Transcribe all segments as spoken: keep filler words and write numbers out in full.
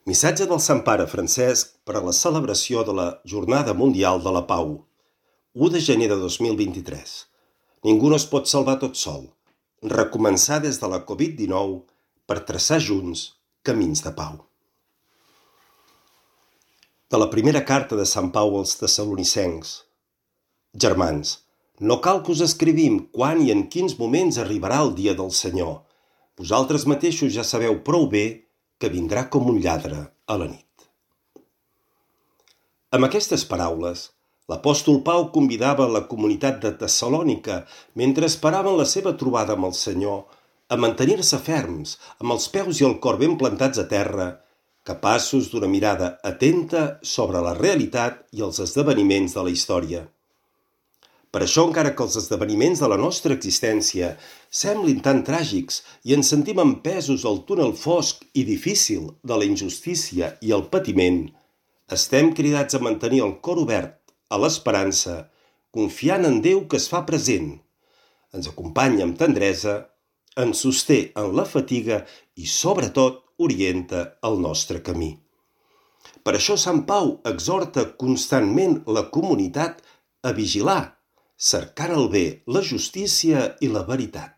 Missatge del Sant Pare Francesc per a la celebració de la Jornada Mundial de la Pau. u de gener de dos mil vint-i-tres. Ningú no es pot salvar tot sol. Recomençar des de la covid dinou per traçar junts camins de pau. De la primera carta de Sant Pau als Tessalonicencs. Germans, no cal que us escrivim quan i en quins moments arribarà el dia del Senyor. Vosaltres mateixos ja sabeu prou bé que vindrà com un lladre a la nit. Amb aquestes paraules, l'apòstol Pau convidava la comunitat de Tessalònica, mentre esperaven la seva trobada amb el Senyor, a mantenir-se ferms, amb els peus i el cor ben plantats a terra, capaços d'una mirada atenta sobre la realitat i els esdeveniments de la història. Per això, encara que els esdeveniments de la nostra existència semblin tan tràgics i ens sentim empesos al túnel fosc i difícil de la injustícia i el patiment, estem cridats a mantenir el cor obert a l'esperança, confiant en Déu que es fa present, ens acompanya amb tendresa, ens sosté en la fatiga i, sobretot, orienta el nostre camí. Per això Sant Pau exhorta constantment la comunitat a vigilar, cercant el bé, la justícia i la veritat.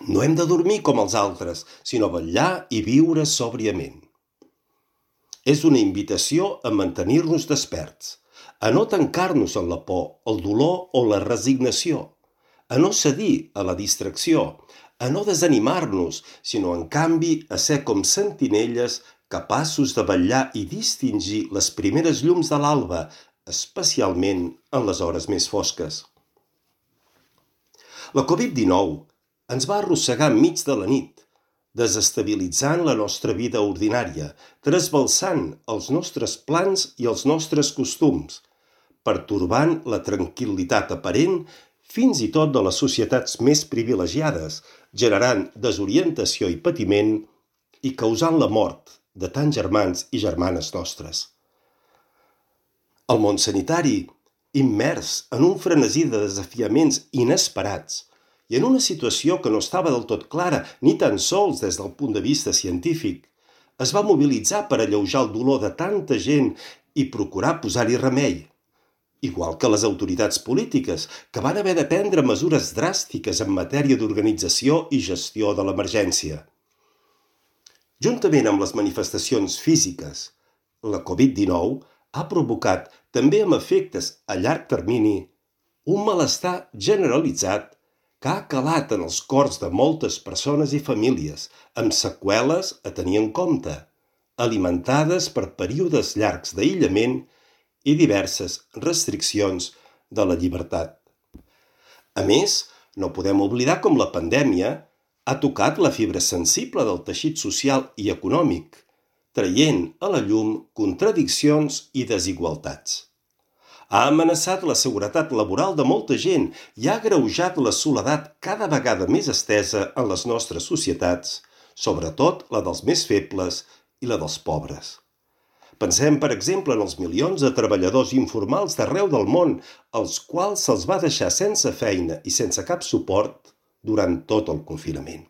No hem de dormir com els altres, sinó vetllar i viure sòbriament. És una invitació a mantenir-nos desperts, a no tancar-nos en la por, el dolor o la resignació, a no cedir a la distracció, a no desanimar-nos, sinó en canvi a ser com sentinelles capaços de vetllar i distingir les primeres llums de l'alba, especialment en les hores més fosques. La covid dinou ens va arrossegar enmig de la nit, desestabilitzant la nostra vida ordinària, trasbalsant els nostres plans i els nostres costums, pertorbant la tranquil·litat aparent fins i tot de les societats més privilegiades, generant desorientació i patiment i causant la mort de tants germans i germanes nostres. El món sanitari, immers en un frenesí de desafiaments inesperats i en una situació que no estava del tot clara ni tan sols des del punt de vista científic, es va mobilitzar per alleujar el dolor de tanta gent i procurar posar-hi remei, igual que les autoritats polítiques, que van haver de prendre mesures dràstiques en matèria d'organització i gestió de l'emergència. Juntament amb les manifestacions físiques, la covid dinou ha provocat, també amb efectes a llarg termini, un malestar generalitzat que ha calat en els cors de moltes persones i famílies, amb seqüeles a tenir en compte, alimentades per períodes llargs d'aïllament i diverses restriccions de la llibertat. A més, no podem oblidar com la pandèmia ha tocat la fibra sensible del teixit social i econòmic, traient a la llum contradiccions i desigualtats. Ha amenaçat la seguretat laboral de molta gent i ha agreujat la soledat cada vegada més estesa en les nostres societats, sobretot la dels més febles i la dels pobres. Pensem, per exemple, en els milions de treballadors informals d'arreu del món, als quals se'ls va deixar sense feina i sense cap suport durant tot el confinament.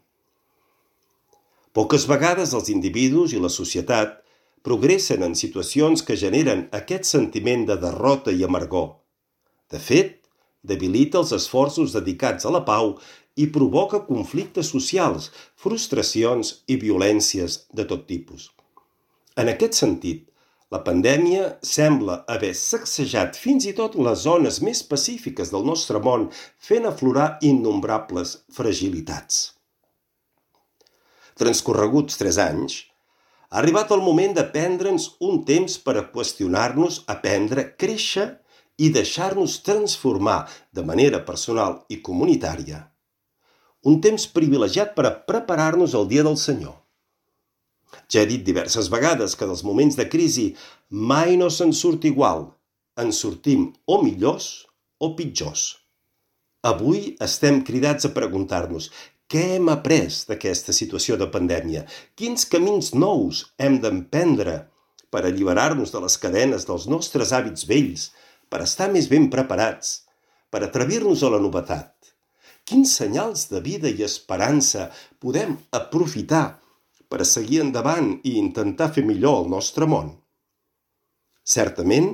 Poques vegades els individus i la societat progressen en situacions que generen aquest sentiment de derrota i amargor. De fet, debilita els esforços dedicats a la pau i provoca conflictes socials, frustracions i violències de tot tipus. En aquest sentit, la pandèmia sembla haver sacsejat fins i tot les zones més pacífiques del nostre món, fent aflorar innombrables fragilitats. Transcorreguts tres anys, ha arribat el moment de prendre'ns un temps per a qüestionar-nos, aprendre, créixer i deixar-nos transformar de manera personal i comunitària. Un temps privilegiat per a preparar-nos al dia del Senyor. Ja he dit diverses vegades que dels moments de crisi mai no se'n surt igual. Ens sortim o millors o pitjors. Avui estem cridats a preguntar-nos: què hem après d'aquesta situació de pandèmia? Quins camins nous hem d'emprendre per alliberar-nos de les cadenes dels nostres hàbits vells, per estar més ben preparats, per atrevir-nos a la novetat? Quins senyals de vida i esperança podem aprofitar per a seguir endavant i intentar fer millor el nostre món. Certament,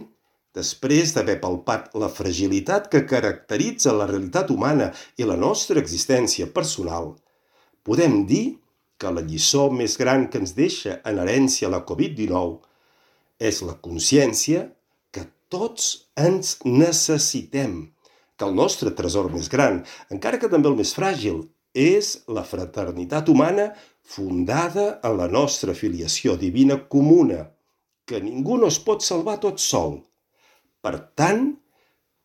després d'haver palpat la fragilitat que caracteritza la realitat humana i la nostra existència personal, podem dir que la lliçó més gran que ens deixa en herència la covid dinou és la consciència que tots ens necessitem, que el nostre tresor més gran, encara que també el més fràgil, és la fraternitat humana fundada en la nostra filiació divina comuna, que ningú no es pot salvar tot sol. Per tant,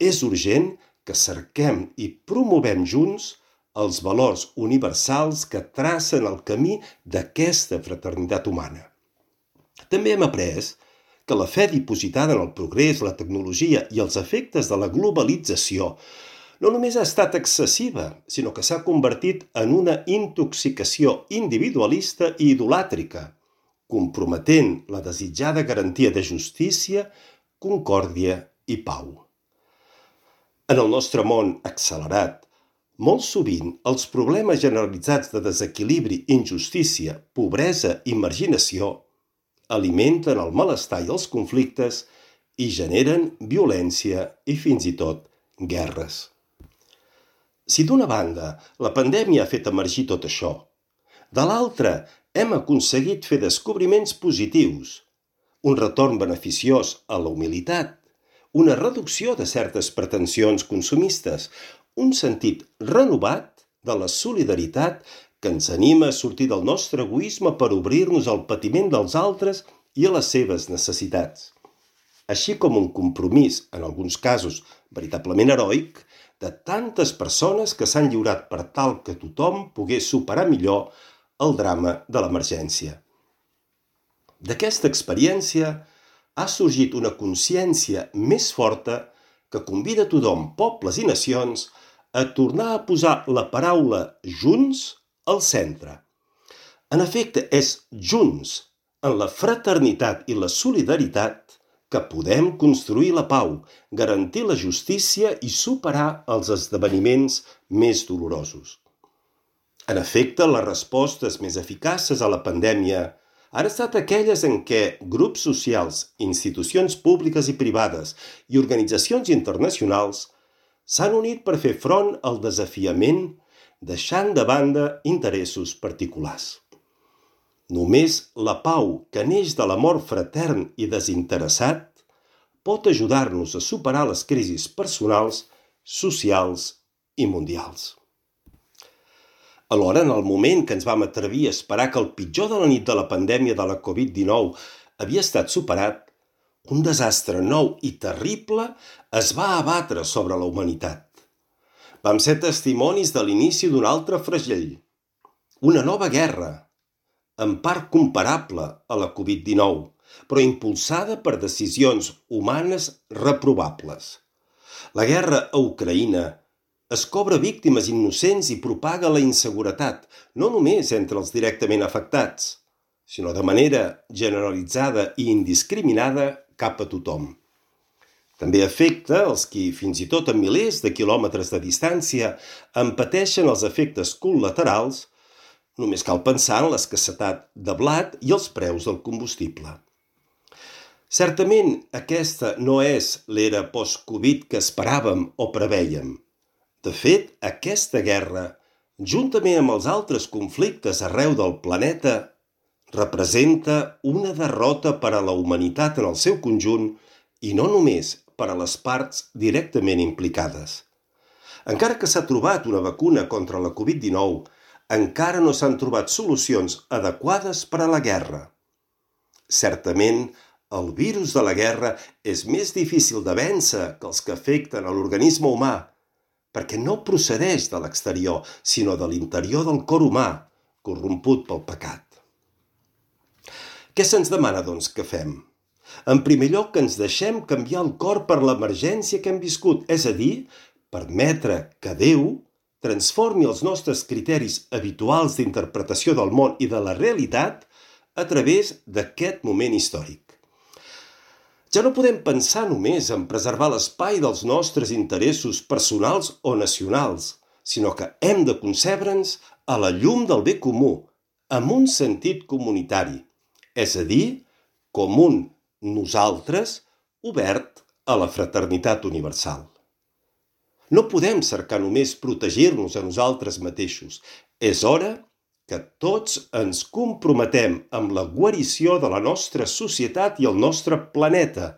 és urgent que cerquem i promovem junts els valors universals que tracen el camí d'aquesta fraternitat humana. També hem après que la fe dipositada en el progrés, la tecnologia i els efectes de la globalització no només ha estat excessiva, sinó que s'ha convertit en una intoxicació individualista i idolàtrica, comprometent la desitjada garantia de justícia, concòrdia i pau. En el nostre món accelerat, molt sovint els problemes generalitzats de desequilibri, injustícia, pobresa i marginació alimenten el malestar i els conflictes i generen violència i fins i tot guerres. Si d'una banda la pandèmia ha fet emergir tot això, de l'altra hem aconseguit fer descobriments positius, un retorn beneficiós a la humilitat, una reducció de certes pretensions consumistes, un sentit renovat de la solidaritat que ens anima a sortir del nostre egoisme per obrir-nos al patiment dels altres i a les seves necessitats, així com un compromís, en alguns casos veritablement heroic, de tantes persones que s'han lliurat per tal que tothom pogués superar millor el drama de l'emergència. D'aquesta experiència ha sorgit una consciència més forta que convida tothom, pobles i nacions, a tornar a posar la paraula junts al centre. En efecte, és junts, en la fraternitat i la solidaritat, que podem construir la pau, garantir la justícia i superar els esdeveniments més dolorosos. En efecte, les respostes més eficaces a la pandèmia han estat aquelles en què grups socials, institucions públiques i privades i organitzacions internacionals s'han unit per fer front al desafiament, deixant de banda interessos particulars. Només la pau que neix de l'amor fratern i desinteressat pot ajudar-nos a superar les crisis personals, socials i mundials. Alhora, en el moment que ens vam atrevir a esperar que el pitjor de la nit de la pandèmia de la covid dinou havia estat superat, un desastre nou i terrible es va abatre sobre la humanitat. Vam ser testimonis de l'inici d'un altre flagell, una nova guerra, en part comparable a la covid dinou, però impulsada per decisions humanes reprovables. La guerra a Ucraïna es cobra víctimes innocents i propaga la inseguretat, no només entre els directament afectats, sinó de manera generalitzada i indiscriminada cap a tothom. També afecta els qui, fins i tot a milers de quilòmetres de distància, en pateixen els efectes col·laterals. Només cal pensar en l'escassetat de blat i els preus del combustible. Certament, aquesta no és l'era post-Covid que esperàvem o prevèiem. De fet, aquesta guerra, juntament amb els altres conflictes arreu del planeta, representa una derrota per a la humanitat en el seu conjunt i no només per a les parts directament implicades. Encara que s'ha trobat una vacuna contra la covid dinou, encara no s'han trobat solucions adequades per a la guerra. Certament, el virus de la guerra és més difícil de vèncer que els que afecten a l'organisme humà, perquè no procedeix de l'exterior, sinó de l'interior del cor humà, corromput pel pecat. Què se'ns demana, doncs, que fem? En primer lloc, que ens deixem canviar el cor per l'emergència que hem viscut, és a dir, permetre que Déu transformi els nostres criteris habituals d'interpretació del món i de la realitat a través d'aquest moment històric. Ja no podem pensar només en preservar l'espai dels nostres interessos personals o nacionals, sinó que hem de concebre'ns a la llum del bé comú, amb un sentit comunitari, és a dir, com un nosaltres obert a la fraternitat universal. No podem cercar només protegir-nos a nosaltres mateixos. És hora que tots ens comprometem amb la guarició de la nostra societat i el nostre planeta,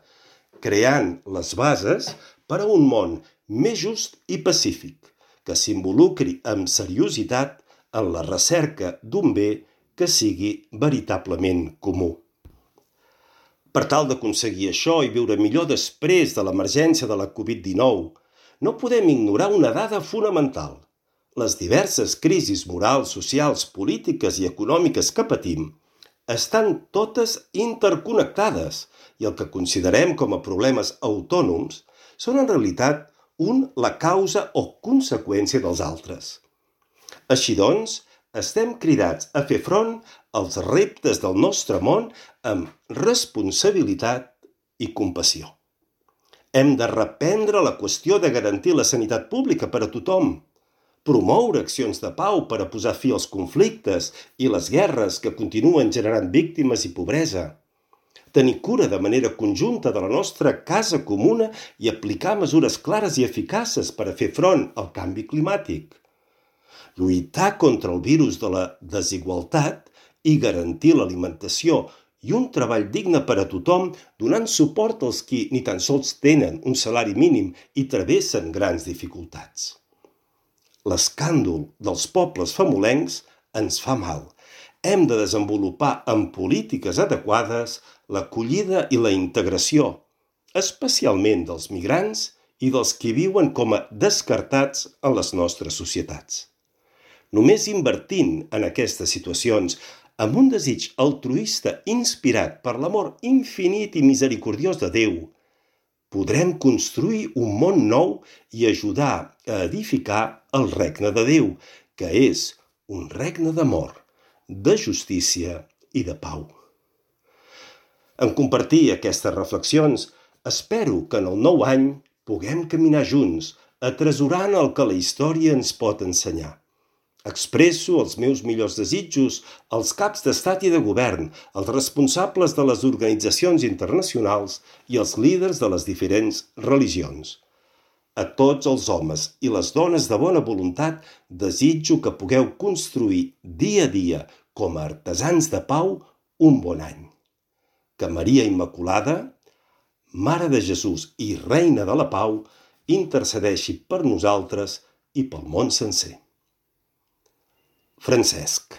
creant les bases per a un món més just i pacífic, que s'involucri amb seriositat en la recerca d'un bé que sigui veritablement comú. Per tal d'aconseguir això i viure millor després de l'emergència de la covid dinou, no podem ignorar una dada fonamental. Les diverses crisis morals, socials, polítiques i econòmiques que patim estan totes interconnectades i el que considerem com a problemes autònoms són en realitat un la causa o conseqüència dels altres. Així doncs, estem cridats a fer front als reptes del nostre món amb responsabilitat i compassió. Hem de reprendre la qüestió de garantir la sanitat pública per a tothom, promoure accions de pau per a posar fi als conflictes i les guerres que continuen generant víctimes i pobresa, tenir cura de manera conjunta de la nostra casa comuna i aplicar mesures clares i eficaces per a fer front al canvi climàtic, lluitar contra el virus de la desigualtat i garantir l'alimentació i un treball digne per a tothom, donant suport als qui ni tan sols tenen un salari mínim i travessen grans dificultats. L'escàndol dels pobles famolencs ens fa mal. Hem de desenvolupar amb polítiques adequades l'acollida i la integració, especialment dels migrants i dels qui viuen com a descartats en les nostres societats. Només invertint en aquestes situacions amb un desig altruista inspirat per l'amor infinit i misericordiós de Déu, podrem construir un món nou i ajudar a edificar el regne de Déu, que és un regne d'amor, de justícia i de pau. En compartir aquestes reflexions, espero que en el nou any puguem caminar junts, atresorant el que la història ens pot ensenyar. Expresso els meus millors desitjos als caps d'estat i de govern, als responsables de les organitzacions internacionals i als líders de les diferents religions. A tots els homes i les dones de bona voluntat desitjo que pugueu construir dia a dia, com a artesans de pau, un bon any. Que Maria Immaculada, Mare de Jesús i Reina de la Pau, intercedeixi per nosaltres i pel món sencer. Francesc.